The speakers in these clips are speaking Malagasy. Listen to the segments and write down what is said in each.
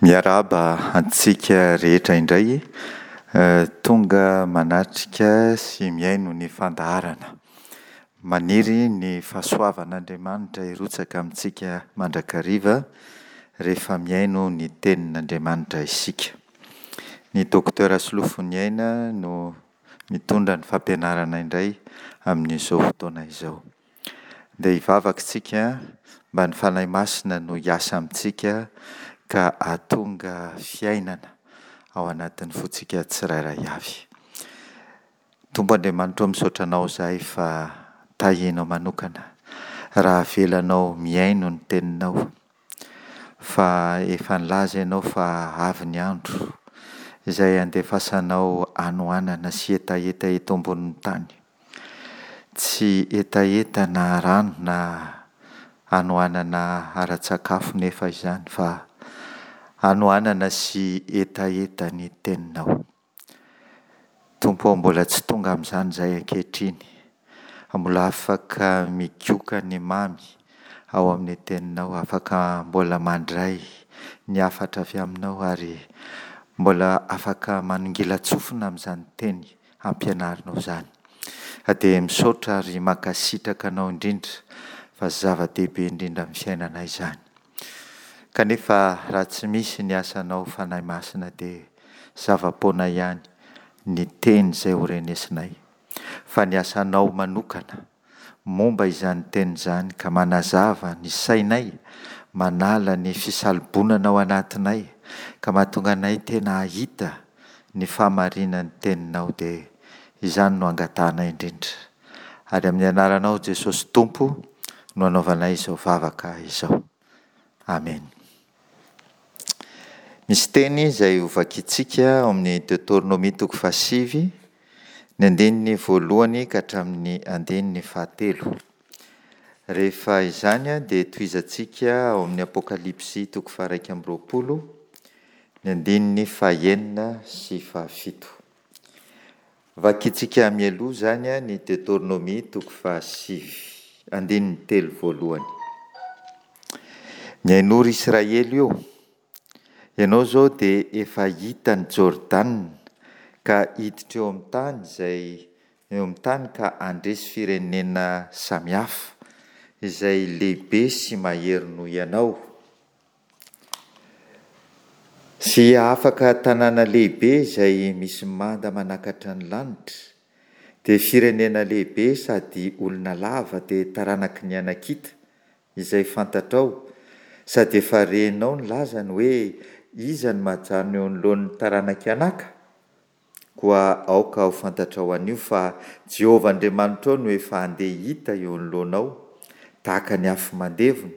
Miarahaba antsika rehetra indray tonga manatrika sy mihaino ny fandaharana. Maniry ny fahasoavan'Andriamanitra hirotsaka amintsika mandrakariva rehefa mihaino ny tenin'Andriamanitra isika. Ny Docteur Solofoniaina no mitondra ny fampianarana indray amin'izao fotoana izao. Ndeha hivavaka isika mba ny Fanahy Masina no hiasa amintsika ka hahatonga fiainana ao anatin'ny fontsika tsirairay avy. Tompo Andriamanitra ô misaotra Anao izahay fa tahianao manokana raha avelanao mihaino ny Teninao fa efa nilaza Ianao fa avy ny andro izay handefasanao hanoanana sy hetaheta eto ambonin'ny tany. Tsy hetaheta na rano na hanoanana ara-tsakafo nefa izany fa hanoanana sy hetaheta ny Teninao. Tompo ô, mbola tsy tonga amin'izany izahay ankehitriny, fa mbola afaka migoka ny mamy ao amin'ny Teninao, afaka mbola mandray ny hafatra avy Aminao ary mbola afaka manongilan-tsofina amin'izany Teny ampianarinao izany. Ka dia misaotra ary mankasitraka Anao indrindra fa zava-dehibe indrindra amin'ny fiainanay izany. Kanefa raha tsy misy ny asanao Fanahy Masina dia zava-poana ihany ny teny izay ho renesinay. Fa ny asanao manokana momba izany teny izany ka manazava ny sainay, manala ny fisalobonana ao anatinay ka mahatonga anay tena hahita ny fahamarinan'ny teninao dia izany no angatahanay indrindra. Ary amin'ny anaranao Jesosy Tompo no anaovanay izao vavaka izao. Amena. Misy teny izay hovakintsika ao amin'ny Deoteronomia toko fahasivy, ny andininy voalohany ka hatramin'ny andininy fahatelo. Rehefa izany dia tohizantsika ao amin'ny Apokalypsy toko faha-21, ny andininy fahenina sy fahafito. Vakintsika mialoha izany ny Deoteronomia toko fahasivy, andininy telo voalohany. Mihainoa ry Israely ô! Ianao izao dia efa hita an'i Jordana ka hiditra eo amin'ny tany izay eo amin'ny tany ka handresy firenena samihafa izay lehibe sy mahery noho ianao. Sy hahafaka tanàna lehibe izay misy manda manakatra ny lanitra, dia firenena lehibe sady olona lava dia taranaky ny Anakita, izay fantatrao, sady efa renao ny lazany hoe, Iza no mahajanona eo anoloan'ny taranak'i Anaka? Koa aoka ho fantatrao anio fa Jehovah Andriamanitrao no efa handeha hita eo anoloanao, tahaka ny afo mandevona,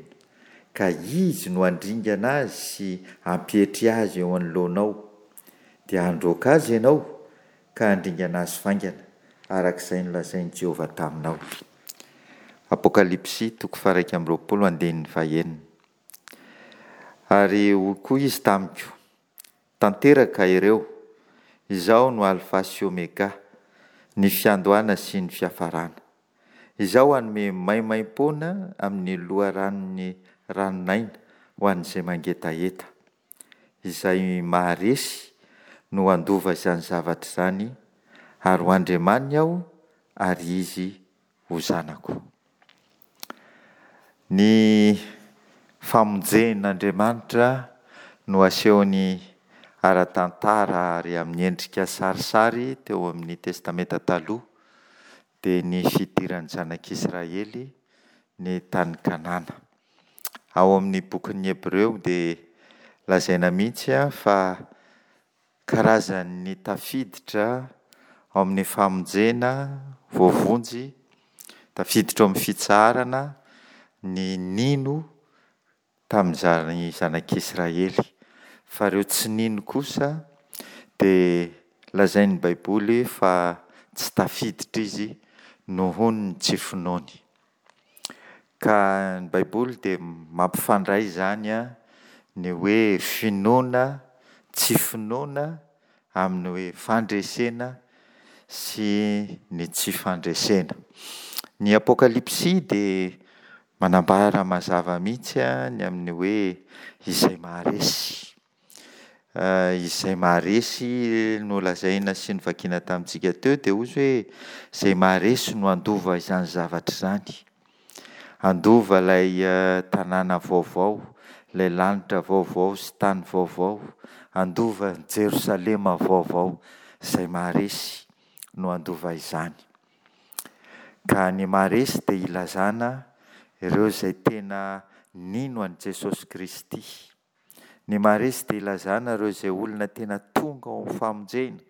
ka Izy no handringana azy sy hampietry azy eo anoloanao. Dia handroaka azy ianao, ka handringana azy faingana, araka izay nolazain'i Jehovah taminao. Apokalypsy toko faha-21 andininy fahenina. Ary hoy koa izy tamiko, Tanteraka ireo, Izaho no Alfa sy Omega, ny fiandohana sy ny fiafarana. Izaho hanome maimaimpoana amin'ny loharanon'ny ranon'aina ho an'izay mangetaheta. Izay maharesy no handova izany zavatra izany, ary ho Andriamaniny Aho, ary izy ho zanako. Ny famonjen'Andriamanitra no asehony ara-tantara ary amin'ny endrika sarisary teo amin'ny Testamenta Taloha, dia ny fidiran'ny zanak'Israely ny tany Kanana. Ao amin'ny bokin'ny Hebreo dia lazaina mihitsy fa Karazan'ny tafiditra ao amin'ny famonjena, voavonjy, tafiditra ao amin'ny fitsaharana ny nino tamin'izany zanak'Israely. Fa ireo tsy nino kosa dia lazain'ny Baiboly fa tsy tafiditra izy nohon'ny tsy finoany. Ka ny Baiboly dia mampifandray izany ny hoe finoana, tsy finoana amin'ny hoe fandresena sy ny tsy fandresena. Ny Apokalypsy dia manambara mazava mihitsy ny amin'ny hoe izay maharesy. Izay maharesy no lazaina sy novakiana tamintsika teo dia hozy hoe izay maharesy no handova izany zavatra izany. Handova ilay tanàna vaovao, ilay lanitra vaovao sy tany vaovao, handova an'i Jerosalema vaovao. Izay maharesy no handova izany. Ka ny maharesy dia ilazana ireo izay tena nino an'i Jesosy Kristy. Ny maharesy dia ilazana ireo izay olona tena tonga ao amin'ny famonjena,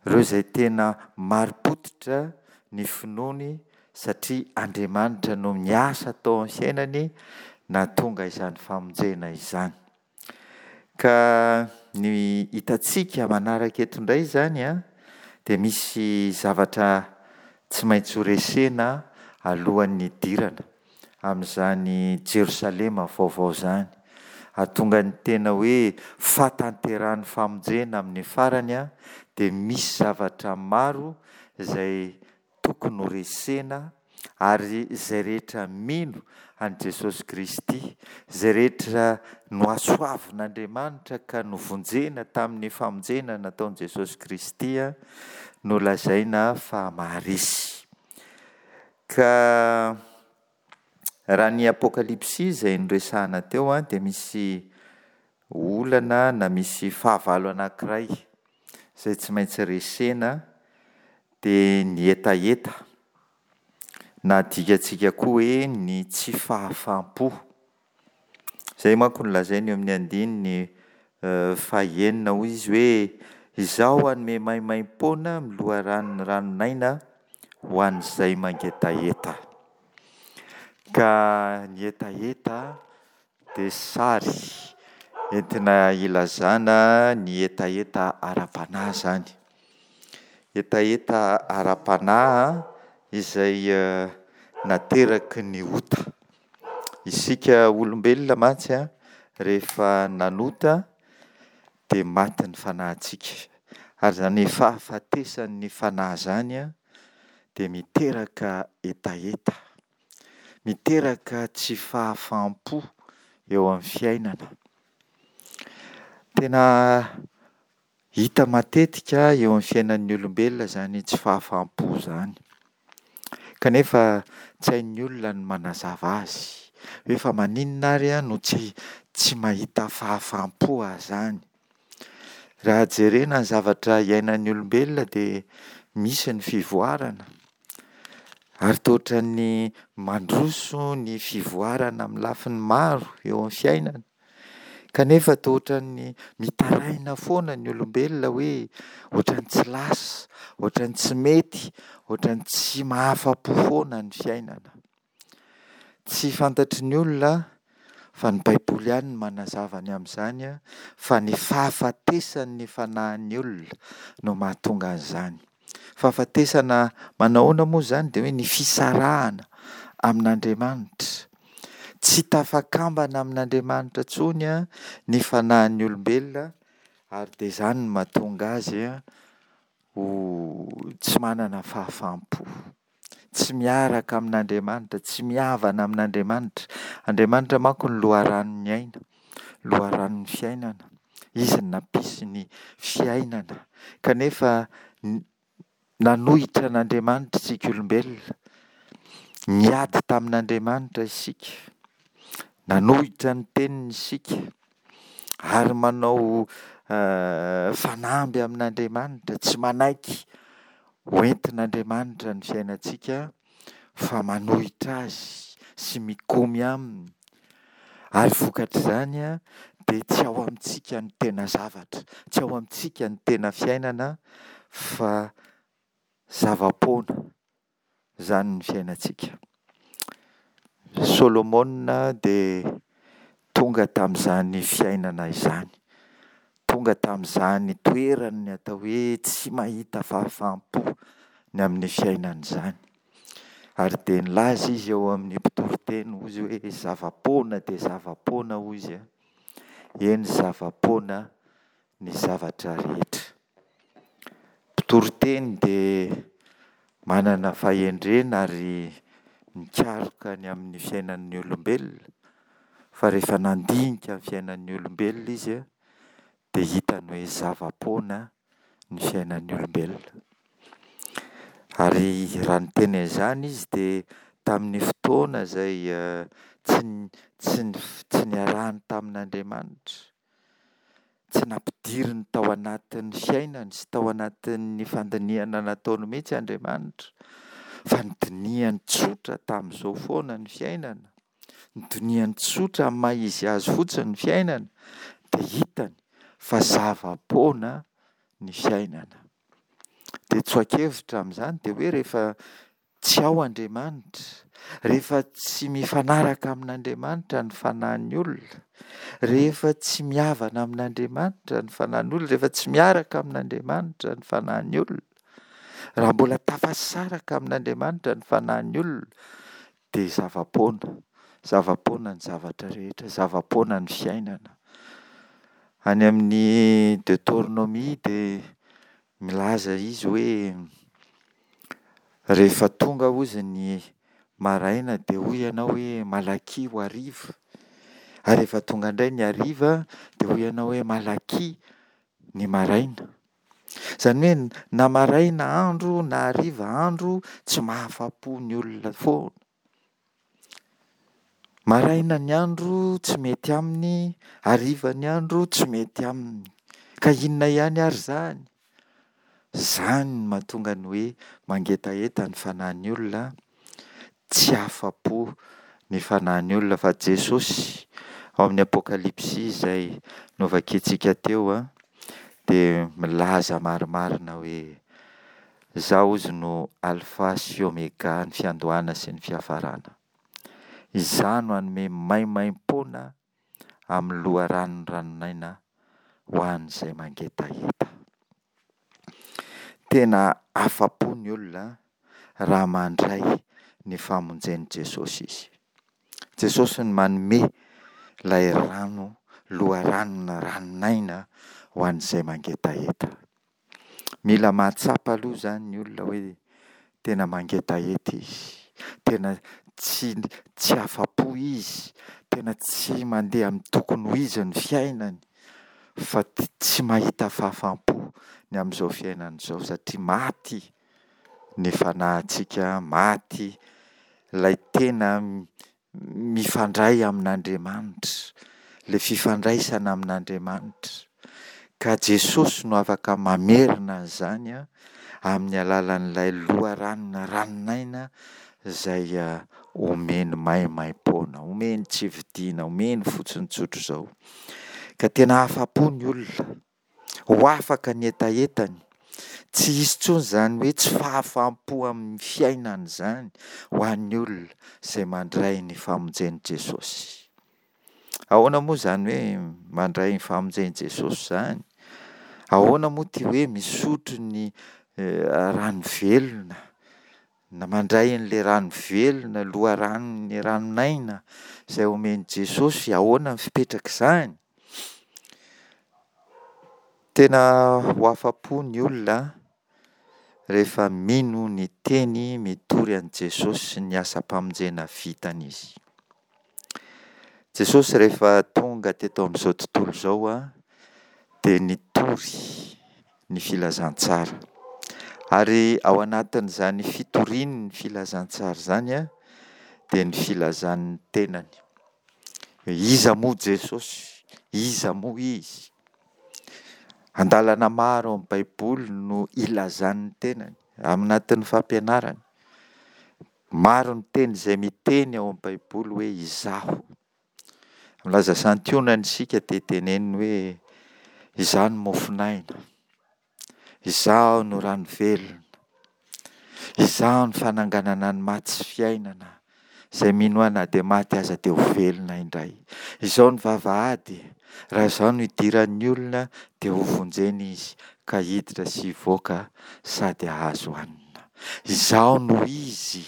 ireo izay tena marim-pototra ny finoany satria Andriamanitra no miasa tao amin'ny fiainany nahatonga izany famonjena izany. Ka ny hitantsika manaraka eto indray izany an, dia misy zavatra tsy maintsy ho resena alohan'ny hidirana amin'izany Jerosalema vaovao izany. Hahatonga ny tena hoe fahatanterahan'ny famonjena amin'ny farany dia misy zavatra maro izay tokony ho resena ary izay rehetra mino an'i Jesosy Kristy, izay rehetra nohasoavin'Andriamanitra ka novonjena tamin'ny famonjena nataon'i Jesosy Kristy no lazaina fa maharesy. Ka raha ny Apokalypsy izay noresahana teo dia misy olana na misy fahavalo anankiray izay tsy maintsy resena dia ny hetaheta na adikantsika koa hoe ny tsy fahafaham-po. Izay manko no lazainy eo amin'ny andininy fahenina hoy izy hoe izaho hanome maimaimpoana amin'ny loharanon'ny ranon'aina ho an'izay mangetaheta. Ka ny hetaheta dia sary entina ilazana ny hetaheta ara-panahy izany. Hetaheta ara-panahy izay nateraky ny ota. Isika olombelona mantsy rehefa nanota dia maty ny fanahintsika. Ary izany fahafatesan'ny fanahy izany dia miteraka hetaheta. Miteraka tsy fahafaham-po eo amin'ny fiainana. Tena hita matetika eo amin'ny fiainan'ny olombelona izany tsy fahafaham-po izany. Kanefa tsy hain'ny olona ny manazava azy. Hoe fa maninona ary aho no tsy tsy mahita fahafaham-po aho izany? Raha jerena ny zavatra iainan'ny olombelona dia misy ny fivoarana. Ary toa ohatran'ny mandroso ny fivoarana amin'ny lafiny maro eo amin'ny fiainana. Kanefa toa ohatran'ny mitaraina foana ny olombelona hoe ohatran'ny tsy lasa, ohatran'ny tsy mety, ohatran'ny tsy mahafa-po foana ny fiainana. Tsy fantatry ny olona fa ny Baiboly ihany no manazava ny amin'izany fa ny fahafatesan'ny fanahin'ny olona no mahatonga an'izany. Fahafatesana manahoana moa izany? Dia hoe ny fisarahana amin'Andriamanitra. Tsy tafakambana amin'Andriamanitra intsony ny fanahin'ny olombelona ary dia izany no mahatonga azy ho tsy manana fahafaham-po. Tsy miaraka amin'Andriamanitra, tsy mihavana amin'Andriamanitra. Andriamanitra manko no loharanon'ny aina, loharanon'ny fiainana. Izy no nampisy ny fiainana. Kanefa nanohitra an'Andriamanitra isika olombelona. Niady tamin'Andriamanitra isika. Nanohitra ny teniny isika. Ary manao fanamby amin'Andriamanitra, tsy manaiky ho entin'Andriamanitra ny fiainantsika fa manohitra azy sy mikomy aminy. Ary vokatr'izany dia tsy ao amintsika ny tena zavatra, tsy ao amintsika ny tena fiainana fa zava-poana izany ny fiainantsika. Solomona dia tonga tamin'izany fiainana izany. Tonga tamin'izany toeran'ny atao hoe tsy mahita fahafaham-po ny amin'ny fiainana izany. Ary dia nilaza izy eo amin'ny mpitoriteny hozy hoe zava-poana dia zava-poana hoy izy an. Eny zava-poana ny zavatra rehetra. Mpitoriteny dia manana fahendrena ary mikaroka ny amin'ny fiainan'ny olombelona, fa rehefa nandinika ny fiainan'ny olombelona izy. dia hitany hoe zava-poana ny fiainan'ny olombelona. Ary raha niteny an'izany izy dia tamin'ny fotoana izay tsy tsy niarahany tamin'Andriamanitra, tsy nampidiriny tao anatin'ny fiainany sy tao anatin'ny fandinihana nataony mihitsy Andriamanitra, fa nodinihany tsotra tamin'izao foana ny fiainana, nodinihany tsotra amin'ny maha-izy azy fotsiny ny fiainana, dia hitany fa zava-poana ny fiainana. Dia tsoa-kevitra amin'izany dia hoe rehefa tsy ao Andriamanitra, rehefa tsy mifanaraka amin'Andriamanitra ny fanahin'ny olona, rehefa tsy mihavana amin'Andriamanitra ny fanahin'ny olona, rehefa tsy miaraka amin'Andriamanitra ny fanahin'ny olona, raha mbola tafasaraka amin'Andriamanitra ny fanahin'ny olona, dia zava-poana, zava-poana ny zavatra rehetra, zava-poana ny fiainana. Any amin'ny Deoteronomia dia milaza izy hoe rehefa tonga hozy ny maraina dia hoy ianao hoe malakia ho hariva, ary rehefa tonga indray ny hariva dia hoy ianao hoe malakia ny maraina. Izany hoe na maraina andro na hariva andro tsy mahafa-po ny olona foana. Maraina ny andro tsy mety aminy, hariva ny andro tsy mety aminy. Ka inona ihany ary izany? Izany no mahatonga ny hoe mangetaheta ny fanahin'ny olona, tsy afa-po ny fanahin'ny olona fa Jesosy ao amin'ny Apokalypsy izay novakintsika teo dia milaza marimarina hoe izaho hozy no Alfa sy Omega, ny fiandohana sy ny fiafarana. Izaho no hanome maimaimpoana amin'ny loharanon'ny ranon'aina ho an'izay mangetaheta. Tena afa-po ny olona raha mandray ny famonjen'i Jesosy izy. Jesosy no manome ilay rano, loharanona ranon'aina ho an'izay mangetaheta. Mila mahatsapa aloha izany ny olona hoe tena mangetaheta izy, tena tsy tsy afa-po izy, tena tsy mandeha amin'ny tokony ho izy ny fiainany fa tsy mahita fahafaham-po ny amin'izao fiainana izao satria maty ny fanahintsika, maty ilay tena mifandray amin'Andriamanitra, ilay fifandraisana amin'Andriamanitra. Ka Jesosy no afaka mamerina an'izany amin'ny alalan'ilay loharanona ranon'aina izay omeny maimaimpoana, omeny tsy vidiana, omeny fotsiny tsotr'izao. Ka tena afa-po ny olona, ho afaka ny hetahetany, tsy hisy intsony izany hoe tsy fahafaham-po amin'ny fiainana izany ho an'ny olona izay mandray ny famonjen'i Jesosy. Ahoana moa izany hoe mandray ny famonjen'i Jesosy izany? Ahoana moa ity hoe misotro ny rano velona na mandray an'ilay rano velona, loharanon'ny ranon'aina izay omen'i Jesosy, ahoana ny fipetrak'izany? Tena ho afa-po ny olona rehefa mino ny teny mitory an'i Jesosy sy ny asam-pamonjena vitany izy. Jesosy rehefa tonga teto amin'izao tontolo izao dia nitory ny filazantsara. Ary ao anatin'izany fitoriany ny filazantsara izany dia ny filazany ny tenany. Hoe iza moa Jesosy? Iza moa Izy? Andalana maro ao amin'ny Baiboly no ilazany ny tenany, ao anatin'ny fampianarany. Maro ny teny izay miteny ao amin'ny Baiboly hoe izaho. Milaza santionany isika dia teneniny hoe izaho no mofon'aina, izaho no rano velona, izaho no fananganana ny maty sy fiainana, izay mino ahy na dia maty aza dia ho velona indray. Izao ny vavahady, raha izaho no idiran'ny olona dia hovonjena izy ka hiditra sy hivoaka sady hahazo hanina. Izaho no izy.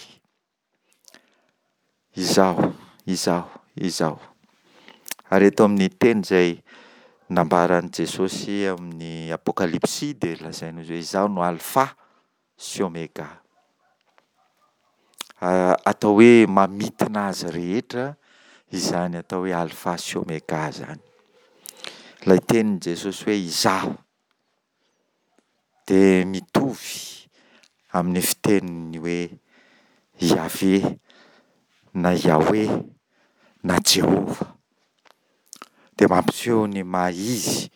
Izaho, izaho, izaho. Ary eto amin'ny teny izay nambaran'i Jesosy amin'ny Apokalypsy dia lazainy hoe izaho no Alfa sy Omega. Atao hoe mamintina azy rehetra izany atao hoe Alfa sy Omega izany. Ilay tenin'i Jesosy hoe Izaho dia mitovy amin'ny fiteniny hoe Yaveh na Yahweh na Jehovah. Dia mampiseho ny maha izy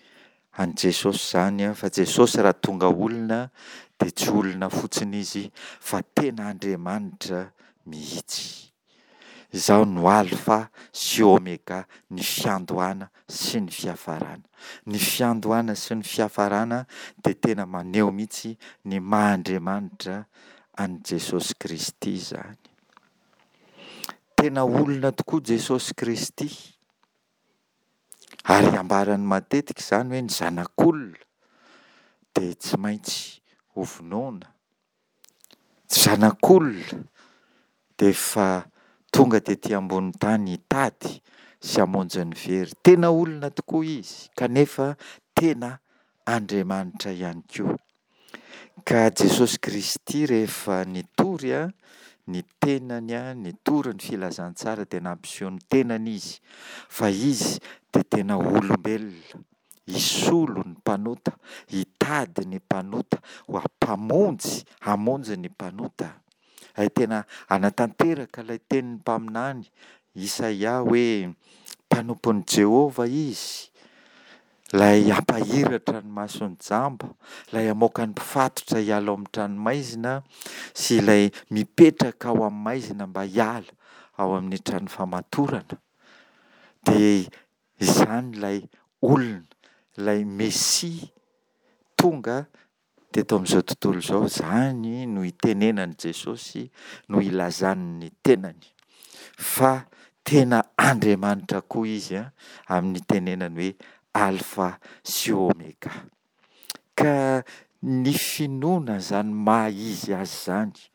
an'i Jesosy izany fa Jesosy raha tonga olona dia tsy olona fotsiny izy fa tena Andriamanitra mihitsy. Izaho no Alfa sy Omega, ny fiandohana sy ny fiafarana. Ny fiandohana sy ny fiafarana dia tena maneho mihitsy ny maha Andriamanitra an'i Jesosy Kristy izany. Tena olona tokoa Jesosy Kristy. Ary ambarany matetika izany hoe ny zanak'olona dia tsy maintsy hovonoina. Tsy zanak'olona dia efa tonga tety ambonin'ny tany hitady sy hamonjy ny very. Tena olona tokoa izy kanefa tena Andriamanitra ihany koa. Ka Jesosy Kristy rehefa nitory ny tenany, nitory ny filazantsara dia nampiseho ny tenany izy fa izy dia tena olombelona, hisolo ny mpanota, hitady ny mpanota, ho mpamonjy, hamonjy ny mpanota. Hay tena hanatanteraka ilay tenin'ny mpaminany Isaia hoe mpanompon'i Jehovah izy, ilay hampahiratra ny mason'ny jamba, ilay hamoaka ny mpifatotra hiala ao amin'ny tranomaizina sy ilay mipetraka ao amin'ny maizina mba hiala ao amin'ny trano famatorana. Dia izany ilay olona, ilay Mesia tonga teto amin'izao tontolo izao, izany no itenenan'i Jesosy, no ilazany ny tenany fa tena Andriamanitra koa Izy amin'ny itenenany hoe Alfa sy Omega. Ka ny finoana izany maha izy azy izany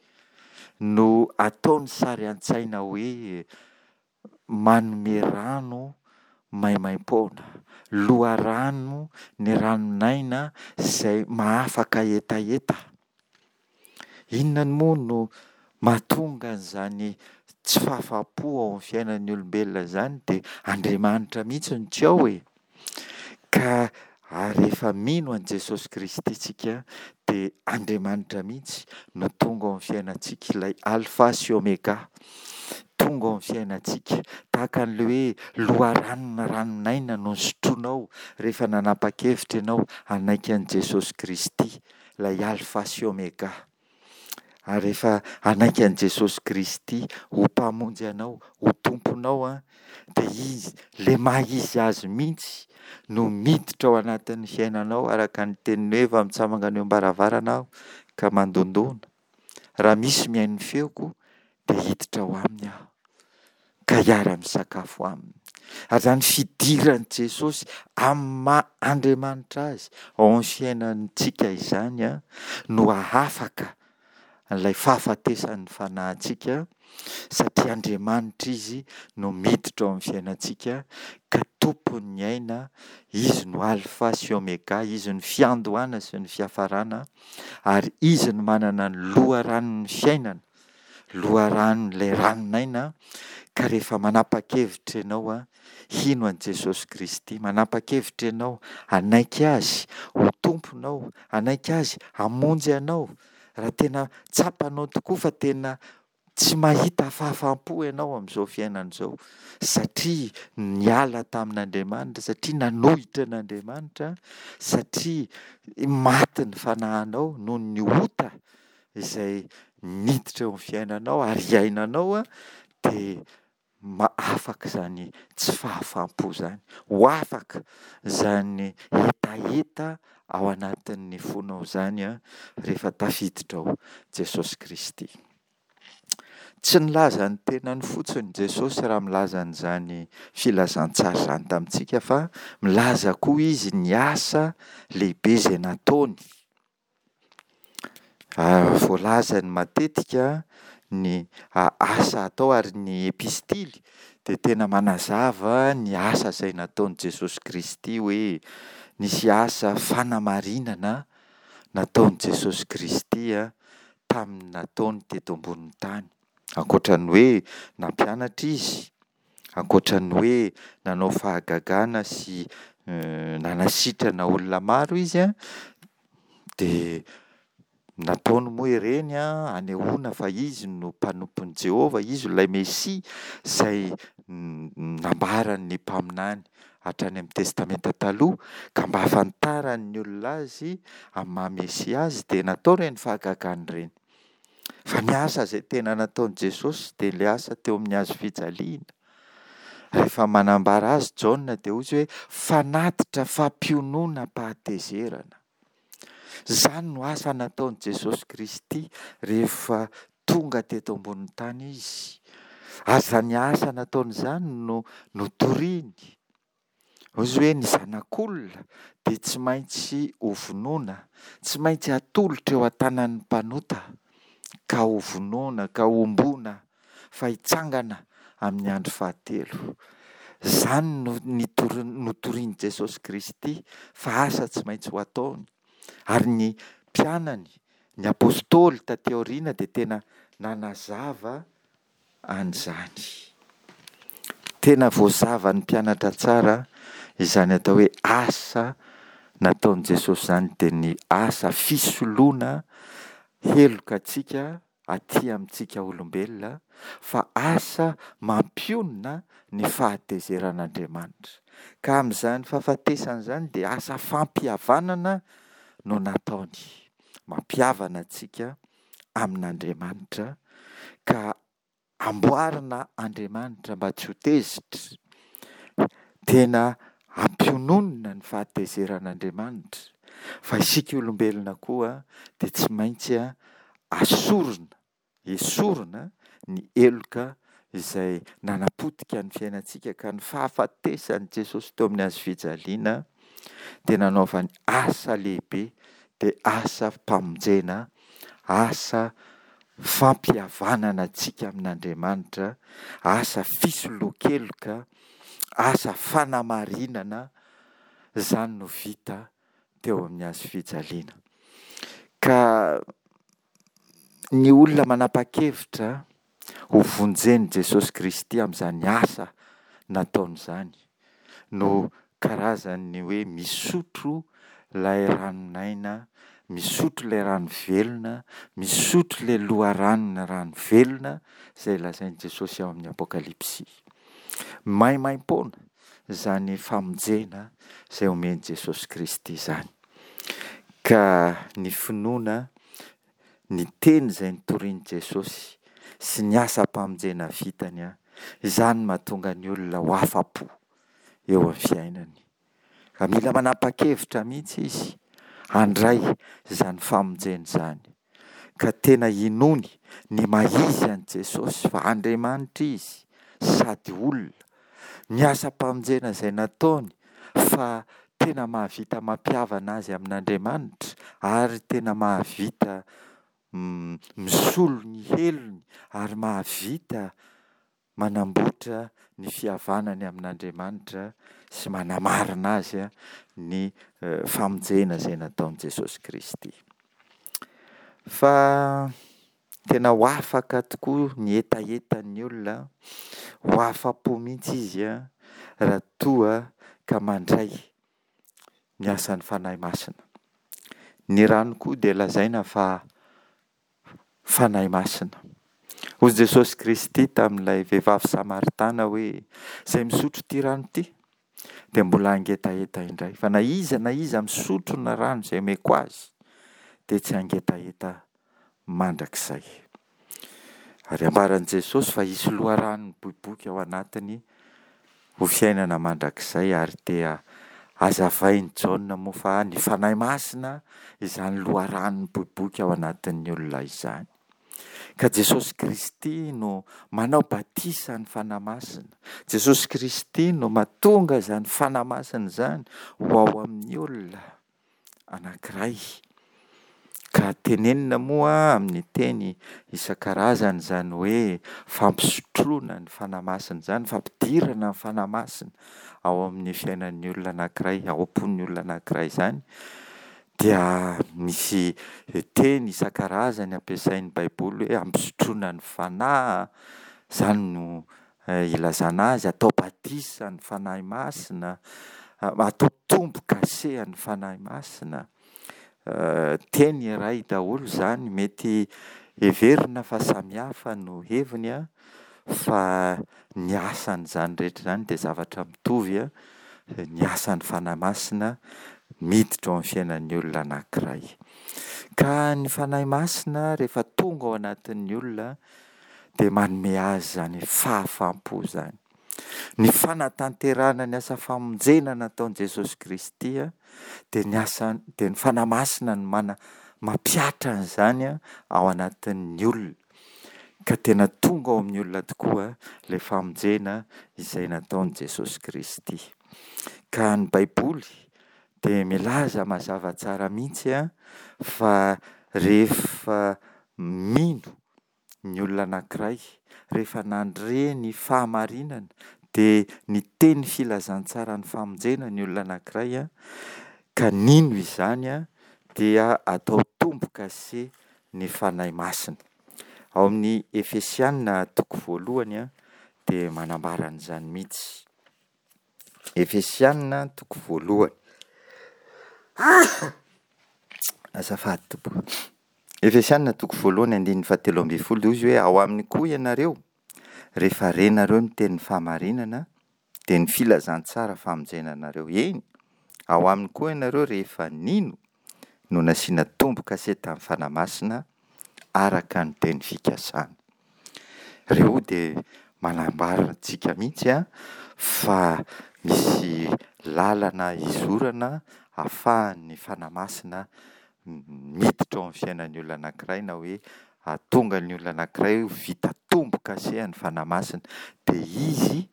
no ataony sary an-tsaina hoe manome rano maimaimpoana, loharano ny ranon'aina izay mahafaka hetaheta. Inona moa no mahatonga an'izany tsy fahafaham-po ao amin'ny fiainan'ny olombelona izany dia Andriamanitra mihitsy no tsy ao e. Ka rehefa mino an'i Jesosy Kristy isika dia Andriamanitra mihitsy no tonga ao amin'ny fiainantsika, ilay Alfa sy Omega tonga ao amin'ny fiainantsika, tahaka an'ilay hoe loharanon'ny ranon'aina no nosotroinao rehefa nanapa-kevitra ianao hanaiky an'i Jesosy Kristy, ilay Alfa sy Omega. Ary rehefa hanaiky an'i Jesosy Kristy ho Mpamonjy anao, ho Tomponao an, dia Izy, ilay maha Izy Azy mihitsy no miditra ao anatin'ny fiainanao araka ny teniny hoe efa mitsangana eo am-baravarana aho ka mandondona. Raha misy mihaino ny feoko dia hiditra ao aminy aho ka hiara-misakafo aminy. Ary izany fidiran'i Jesosy amin'ny maha Andriamanitra azy ao amin'ny fiainantsika izany no hahafaka an'ilay fahafatesan'ny fanahintsika satria Andriamanitra Izy no miditra ao amin'ny fiainantsika ka tompon'ny aina, Izy no Alfa sy Omega, Izy no fiandohana sy ny fiafarana ary Izy no manana ny loharanon'ny fiainana, loharanon'ilay ranon'aina ka rehefa manapa-kevitra ianao hino an'i Jesosy Kristy, manapa-kevitra ianao hanaiky Azy ho Tomponao, hanaiky Azy hamonjy anao, raha tena tsapanao tokoa fa tena tsy mahita fahafaham-po ianao amin'izao fiainana izao satria niala tamin'Andriamanitra, satria nanohitra an'Andriamanitra, satria maty ny fanahinao noho ny ota izay niditra eo amin'ny fiainanao ary iainanao dia afaka izany tsy fahafaham-po izany, ho afaka izany hetaheta ao anatin'ny fonao izany rehefa tafiditra ao Jesosy Kristy. Tsy nilaza ny tenany fotsiny Jesosy raha milaza an'izany filazantsara izany tamintsika fa milaza koa izy ny asa lehibe izay nataony. Voalazany matetika ny asa atao ary ny epistily dia tena manazava ny asa izay nataon'i Jesosy Kristy hoe nisy asa fanamarinana nataon'i Jesosy Kristy tamin'ny nataony teto ambonin'ny tany. Ankoatra ny hoe nampianatra izy. Ankoatra ny hoe nanao fahagagana sy nanasitrana olona maro Izy an, dia nataony moa ireny an hanehoana fa izy no mpanompon'i Jehovah, izy ilay Mesia izay nambaran'ny mpaminany hatrany amin'ny testamenta taloha, ka mba ahafantaran'ny olona azy amin'ny maha-Mesia azy dia natao ireny fahagagana ireny. Fa ny asa izay tena nataon'i Jesosy dia ilay asa teo amin'ny hazo fijaliana. Rehefa manambara azy Jaona dia hoy izy hoe fanatitra fampiononam-pahatezerana. Izany no asa nataon'i Jesosy Kristy rehefa tonga teto ambonin'ny tany Izy. Ary izany asa nataony izany no notoriny. Hoy izy hoe ny zanak'olona dia tsy maintsy hovonoina, tsy maintsy atolotra eo an-tanan'ny mpanota ka hovonoina, ka homboana, fa hitsangana amin'ny andro fahatelo. Izany no notorin'i Jesosy Kristy fa asa tsy maintsy ho ataony. Ary ny mpianany, ny apostoly taty aoriana dia tena nanazava an'izany. Tena voazavan'ny mpianatra tsara izany atao hoe asa nataon'i Jesosy izany dia ny asa fisoloana heloka antsika aty amintsika olombelona fa asa mampionona ny fahatezeran'Andriamanitra. Ka amin'izany fahafatesana izany dia asa fampihavanana no nataony. Mampihavana antsika amin'Andriamanitra ka amboarina Andriamanitra mba tsy ho tezitra. Tena ampiononina ny fahatezeran'Andriamanitra fa isika olombelona koa dia tsy maintsy asorina, esorina ny heloka izay nanapotika ny fiainantsika ka ny fahafatesan'i Jesosy teo amin'ny hazo fijaliana dia nanaovany asa lehibe dia asa famonjena, asa fampihavanana antsika amin'Andriamanitra, asa fisoloan-keloka, asa fanamarinana, izany no vita teo amin'ny hazo fijaliana. Ka ny olona manapa-kevitra ho vonjen'i Jesosy Kristy amin'izany asa nataony izany no karazan'ny hoe misotro ilay ranon'aina, misotro ilay rano velona, misotro ilay loharanon'ny rano velona izay lazain'i Jesosy ao amin'ny Apokalypsy. Maimaimpoana izany famonjena izay omen'i Jesosy Kristy izany. Ka ny finoana ny teny izay notorin'i Jesosy sy ny asam-pamonjena vitany, izany no mahatonga ny olona ho afa-po eo amin'ny fiainany. Ka mila manapa-kevitra mihitsy izy handray izany famonjena izany. Ka tena inoany ny maha izy an'i Jesosy fa Andriamanitra izy sady olona. Ny asam-pamonjena izay nataony fa tena mahavita mampihavana azy amin'Andriamanitra ary tena mahavita misolo ny helony ary mahavita manamboatra ny fihavanany amin'Andriamanitra sy manamarina azy ny famonjena izay nataon'i Jesosy Kristy. Fa tena ho afaka tokoa ny hetahetan'ny olona, ho afa-po mihitsy izy raha toa ka mandray ny asan'ny Fanahy Masina. Ny rano koa dia lazaina fa Fanahy Masina. Hoy Jesosy Kristy tamin'ilay vehivavy Samaritana hoe, Izay misotro ity rano ity dia mbola hangetaheta indray. Fa na iza na iza misotro ny rano izay omeko azy dia tsy hangetaheta mandrakizay. Ary ambaran'i Jesosy fa hisy loharano miboiboika ao anatiny ho fiainana mandrakizay ary dia hazavain'i Jaona moa fa ny Fanahy Masina izany loharano miboiboika ao anatin'ny olona izany. Ka Jesosy Kristy no manao batisa ny Fanahy Masina. Jesosy Kristy no mahatonga izany Fanahy Masina izany ho ao amin'ny olona anankiray. Ka tenenina moa amin'ny teny isan-karazany izany hoe fampisotroana ny Fanahy Masina izany, fampidirana ny Fanahy Masina ao amin'ny fiainan'ny olona anankiray, ao am-pon'ny olona anankiray izany, dia misy teny isan-karazany ampiasain'ny Baiboly hoe ampisotroana ny Fanahy, izany no. ilazana azy, atao batisa ny Fanahy Masina, atao tombo-kase an'ny Fanahy Masina. Teny iray daholo izany, mety heverina fa samihafa no heviny an, fa ny asan'izany rehetra izany dia zavatra mitovy an, ny asan'ny Fanahy Masina miditra ao amin'ny fiainan'ny olona anankiray. Ka ny Fanahy Masina rehefa tonga ao anatin'ny olona dia manome azy izany fahafaham-po izany. Ny fanatanterahana ny asa famonjena nataon'i Jesosy Kristy dia ny asa dia ny Fanahy Masina no mana- mampihatra an'izany ao anatin'ny olona. Ka tena tonga ao amin'ny olona tokoa ilay famonjena izay nataon'i Jesosy Kristy. Ka ny Baiboly dia milaza mazava tsara mihitsy fa rehefa mino ny olona anankiray, rehefa nandre ny fahamarinana, dia niteny filazantsaran'ny famonjena ny olona anankiray ka nino izany dia atao tombo-kase ny Fanahy Masina. Ao amin'ny Efesiana toko voalohany dia manambara an'izany mihitsy. Efesiana toko voalohany. Azafady tompoko. Efesiana toko voalohany andininy fahatelo ambin'ny folo dia hoy izy hoe ao aminy koa ianareo rehefa renareo ny tenin'ny fahamarinana dia ny filazantsara famonjena anareo. Eny, ao aminy koa ianareo rehefa nino no nasiana tombo-kase tamin'ny Fanahy Masina araka ny teny fikasana. Ireo dia manambara antsika mihitsy fa misy lalana hizorana ahafahan'ny Fanahy Masina miditra ao amin'ny fiainan'ny olona anankiray na hoe hahatonga ny olona anankiray ho vita tombo-kase an'ny Fanahy Masina. Dia izy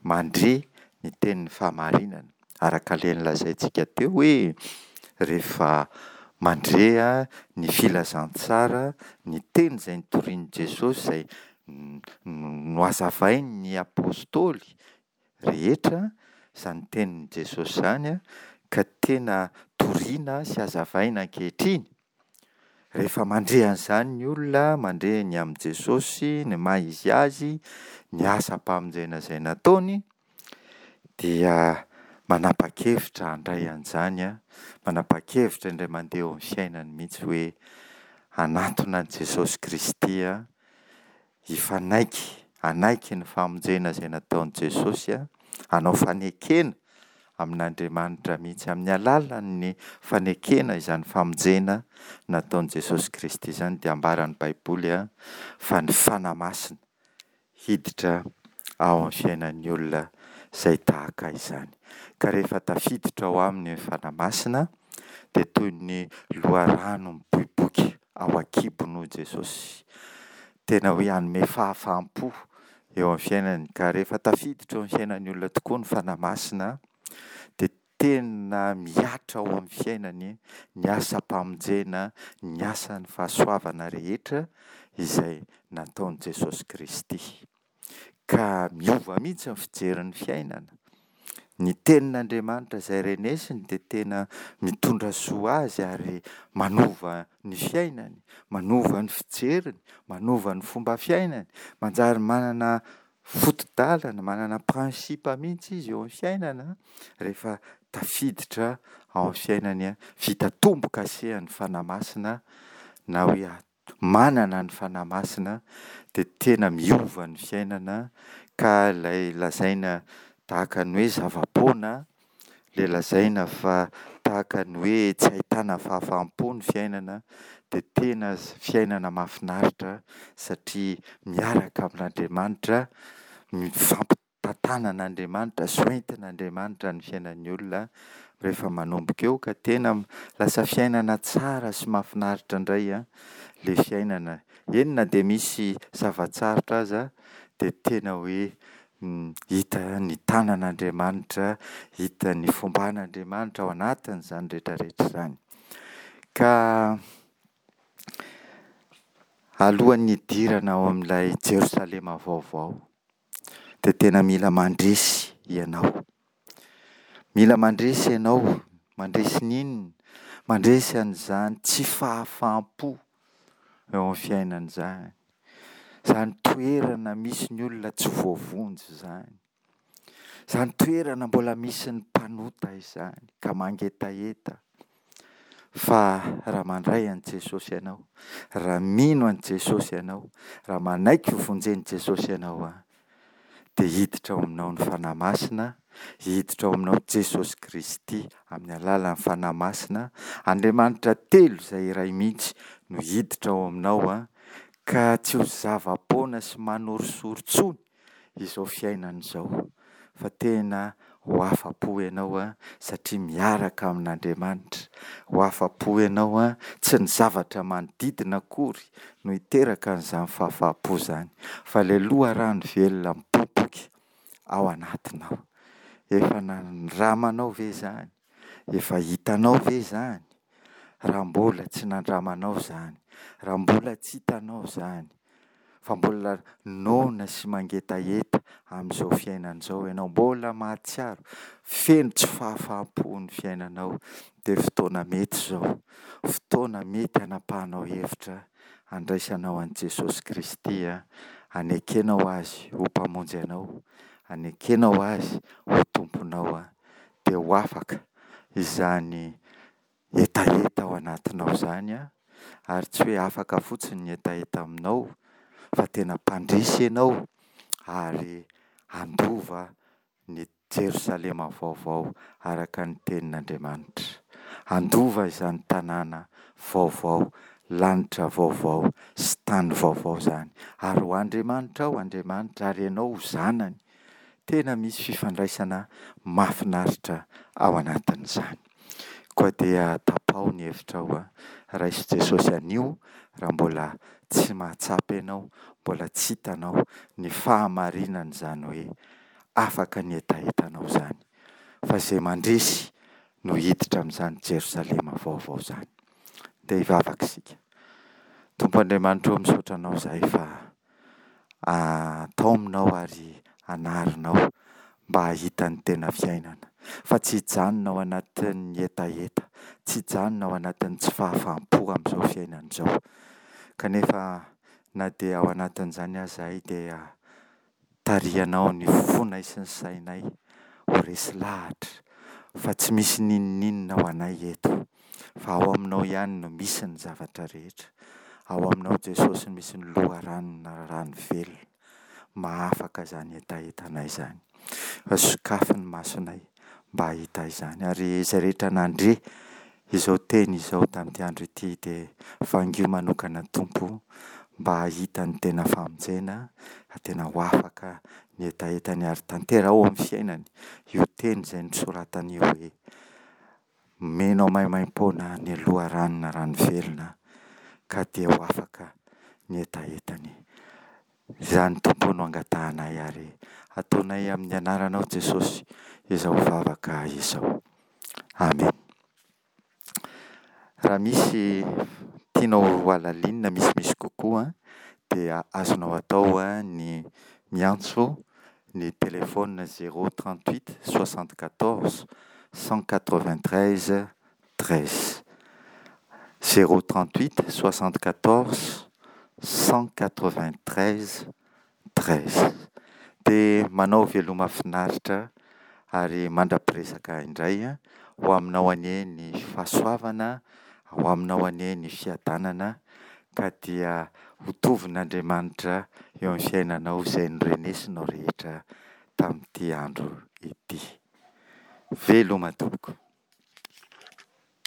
mandre ny tenin'ny fahamarinana. Araka ilay nolazaintsika teo hoe rehefa mandre ny filazantsara, ny teny izay notorian'i Jesosy izay nohazavain'ny apostoly rehetra, izany tenin'i Jesosy izany ka tena toriana sy hazavaina ankehitriny. Rehefa mandre an'izany ny olona, mandre ny amin'i Jesosy, ny maha izy azy, ny asam-pamonjena izay nataony, dia manapa-kevitra handray an'izany, manapa-kevitra indray mandeha eo amin'ny fiainany mihitsy hoe hanatona an'i Jesosy Kristy hifanaiky, hanaiky ny famonjena izay nataon'i Jesosy, hanao fanekena amin'Andriamanitra mihitsy amin'ny alalan'ny fanekena izany famonjena nataon'i Jesosy Kristy izany dia ambaran'ny Baiboly fa ny Fanahy Masina hiditra ao amin'ny fiainan'ny olona izay tahaka izany. Ka rehefa tafiditra ao aminy ny Fanahy Masina dia toy ny loharano miboiboika ao an-kibony hoy Jesosy. Tena hoe hanome fahafaham-po eo amin'ny fiainany. Ka rehefa tafiditra eo amin'ny fiainan'ny olona tokoa ny Fanahy Masina dia tena mihatra ao amin'ny fiainany ny asam-pamonjena, ny asan'ny fahasoavana rehetra izay nataon'i Jesosy Kristy. Ka miova mihitsy ny fijery ny fiainana. Ny tenin'Andriamanitra izay renesiny dia tena mitondra soa azy ary manova ny fiainany, manova ny fijeriny, manova ny fomba fiainany, manjary manana foto-dalana, manana principe mihitsy izy eo amin'ny fiainana rehefa tafiditra ao amin'ny fiainany, vita tombo-kasehan'ny Fanahy Masina na hoe manana ny Fanahy Masina dia tena miova ny fiainana ka ilay lazaina tahaka ny hoe zava-poana, ilay lazaina fa tahaka ny hoe tsy ahitana fahafaham-po ny fiainana dia tena fiainana mahafinaritra satria miaraka amin'Andriamanitra, mifampi tantanan'Andriamanitra sy hoentin'Andriamanitra ny fiainan'ny olona rehefa manomboka eo ka tena lasa fiainana tsara sy mahafinaritra indray ilay fiainana. Eny na dia misy zava-tsarotra aza dia tena hoe hita ny tanan'Andriamanitra, hita ny fomban'Andriamanitra ao anatin'izany rehetra rehetra izany. Ka alohan'ny hidirana ao amin'ilay Jerosalema vaovao dia tena mila mandresy ianao. Mila mandresy ianao, mandresy ny inona? Mandresy an'izany tsy fahafaham-po eo amin'ny fiainana izany. Izany toerana misy ny olona tsy voavonjy izany. Izany toerana mbola misy ny mpanota izany ka mangetaheta. Fa raha mandray an'i Jesosy ianao, raha mino an'i Jesosy ianao, raha manaiky ho vonjen'i Jesosy ianao an, dia hiditra ao aminao ny Fanahy Masina, hiditra ao aminao Jesosy Kristy amin'ny alalan'ny Fanahy Masina, Andriamanitra telo izay iray mihitsy no hiditra ao aminao an, ka tsy ho zava-poana sy manorisory intsony izao fiainana izao fa tena ho afa-po ianao satria miaraka amin'Andriamanitra, ho afa-po ianao, tsy ny zavatra manodidina akory no hiteraka an'izany fahafaham-po izany fa ilay loharano velona mipoipoika ao anatinao. Efa nandramanao ve izany? Efa hitanao ve izany? Raha mbola tsy nandramanao izany, raha mbola tsy hitanao izany, fa mbola noana sy mangetaheta amin'izao fiainana izao ianao, mbola mahatsiaro feno tsy fahafaham-po ny fiainanao, dia fotoana mety izao, fotoana mety hanapahanao hevitra handraisanao an'i Jesosy Kristy, hanekenao Azy ho Mpamonjy anao, hanekenao Azy ho Tomponao, dia ho afaka izany hetaheta ao anatinao izany an, ary tsy hoe afaka fotsiny ny hetaheta aminao fa tena mpandresy ianao ary handova ny Jerosalema vaovao araka ny tenin'Andriamanitra. Handova izany tanàna vaovao, lanitra vaovao sy tany vaovao izany. Ary ho Andriamanitrao Andriamanitra ary ianao ho zanany. Tena misy fifandraisana mahafinaritra ao anatin'izany. Koa dia tapaho ny hevitrao, raiso Jesosy anio raha mbola tsy mahatsapa ianao, mbola tsy hitanao ny fahamarinan'izany hoe afaka ny hetahetanao izany. Fa izay mandresy no hiditra amin'izany Jerosalema vaovao izany. Dia hivavaka isika. Tompo Andriamanitra ô, misaotra Anao izahay fa taominao ary anarinao mba hahita ny tena fiainana, fa tsy hijanona ao anatin'ny hetaheta, tsy hijanona ao anatin'ny tsy fahafaham-po amin'izao fiainana izao. Kanefa na dia ao anatin'izany aza izahay dia tarihanao ny fonay sy ny sainay ho resy lahatra fa tsy misy n'inon'inona ho anay eto fa ao aminao ihany no misy ny zavatra rehetra. Ao aminao Jesosy no misy ny loharanona rano velona mahafaka izany hetahetanay izany. Fa sokafy ny masonay mba hahita izany. Ary izay rehetra nandre izao teny izao tamin'ity andro ity dia vangio manokana Tompo mba hahita ny tena famonjena, ka tena ho afaka ny hetahetany ary tanteraho ao amin'ny fiainany io teny izay nosoratany io hoe, Omenao maimaimpoana ny loharanona rano velona ka dia ho afaka ny hetahetany. Izany Tompo no angatahanay ary ataonay amin'ny anaranao Jesosy izao vavaka izao. Amen. Raha misy tianao ho halalinina misimisy kokoa dia azonao atao ny miantso ny telefaonina zéro 38 74 193 13. Zéro 38 74 193 13. Dia manao veloma finaritra ary mandra-piresaka indray ho aminao anie ny fahasoavana, ho aminao anie ny fiadanana ka dia ho tovin'Andriamanitra eo amin'ny fiainanao izay norenesinao rehetra tamin'ity andro ity. Veloma tompoko.